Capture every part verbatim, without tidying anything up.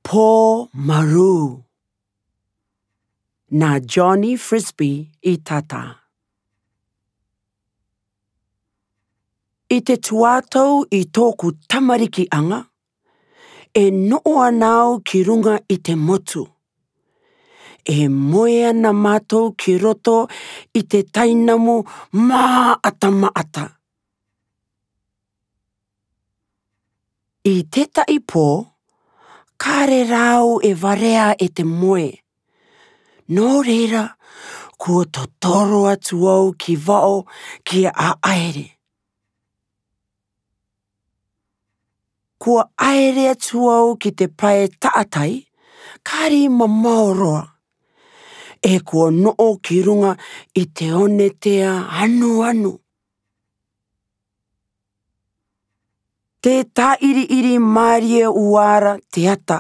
Pō Marū, nā Johnny Frisbie i tata. I te tuatau i tō'ku tamariki aŋa, e no'o ana au ki ruŋa i te motu. E moe ana mātou ki roto i te tainamu mā'ata mā'ata. I te tahi pō, ka rere au e varea e te moe. Nō reira, kua totoro atu au ki vao ki ʻaʻaere. Kua ʻaere atu au ki te pae taʻatai, kari mamao roa. E kua noʻo ki ruŋa i te one tea anuanu. Te tāʻiriʻiri mārie uara te ata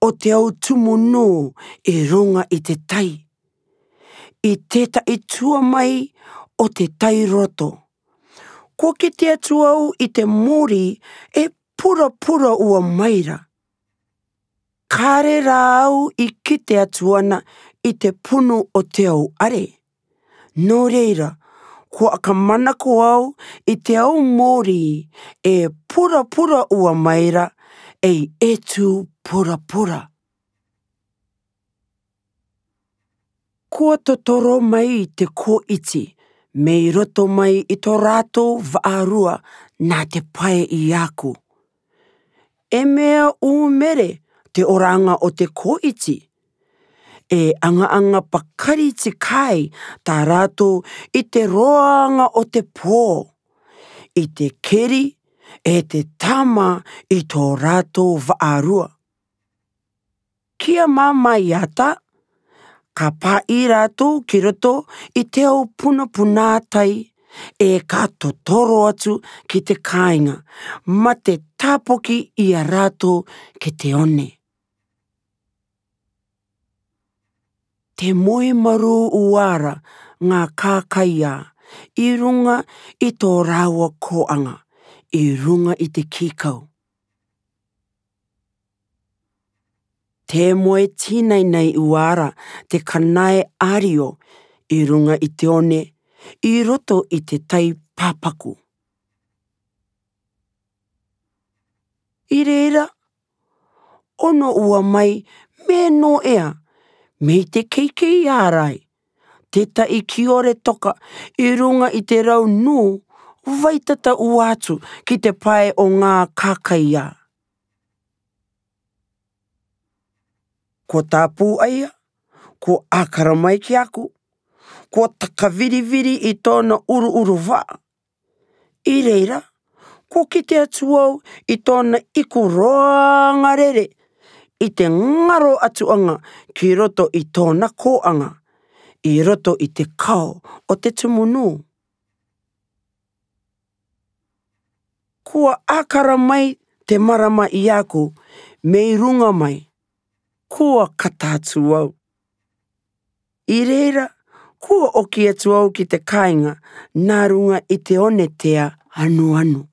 o te au tumu nū i ruŋa i te tai. I te taʻi tua mai o te tai roto, kua kite atu au i te mori e purapura ua mai ra. Ka rere au i kite atu ana i te punu o te au are. Nō reira, kua aka manako au i te au mori e purapura ua mai ra, ei etu purapura. Kua totoro mai te kōiti mei roto mai i tō rātou vaʻarua nā te pae i ʻaku. E mea ʻūmere te oraŋa o te kōiti. E aŋa-aŋa pakari te kai tā rātou i te roaŋa o te pō, i te keri e te tama i tō rātou vaʻarua. Kia māmā i ata, ka pāʻi rātou ki roto i te au punapuna tai, e ka totoro atu ki te kāiŋa, mā te tāpoki ia rātou ki te one. Te moe marū uara ŋā kākaiā i ruŋa i tō rāua kōaŋa, i ruŋa i te kikau. Te moe tīnainai uara te kanae ario i ruŋa i te one, i roto i te tai pāpaku. I reira, ono ua mai me noʻea, mei te keikei ārai, te taʻi kiore toka i ruŋa i te rau nū, vaitata ua atu ki te pae o ŋā kākaiā. Kua tāpū ʻaia, kua ʻākara mai ki ʻaku, kua takaviriviri i tōna ʻuruʻuru vaʻa. I reira, kua kite atu au i tōna iku roaŋa rere, i te ŋaro atu aŋa ki roto i tōna kōaŋa, i roto i te kao o te tumu nū. Kua ʻākara mai te marama i ʻaku mei ruŋa mai, kua kata atu au. I reira, kua ʻoki atu au ki te kāiŋa nā ruŋa i te one tea anuanu.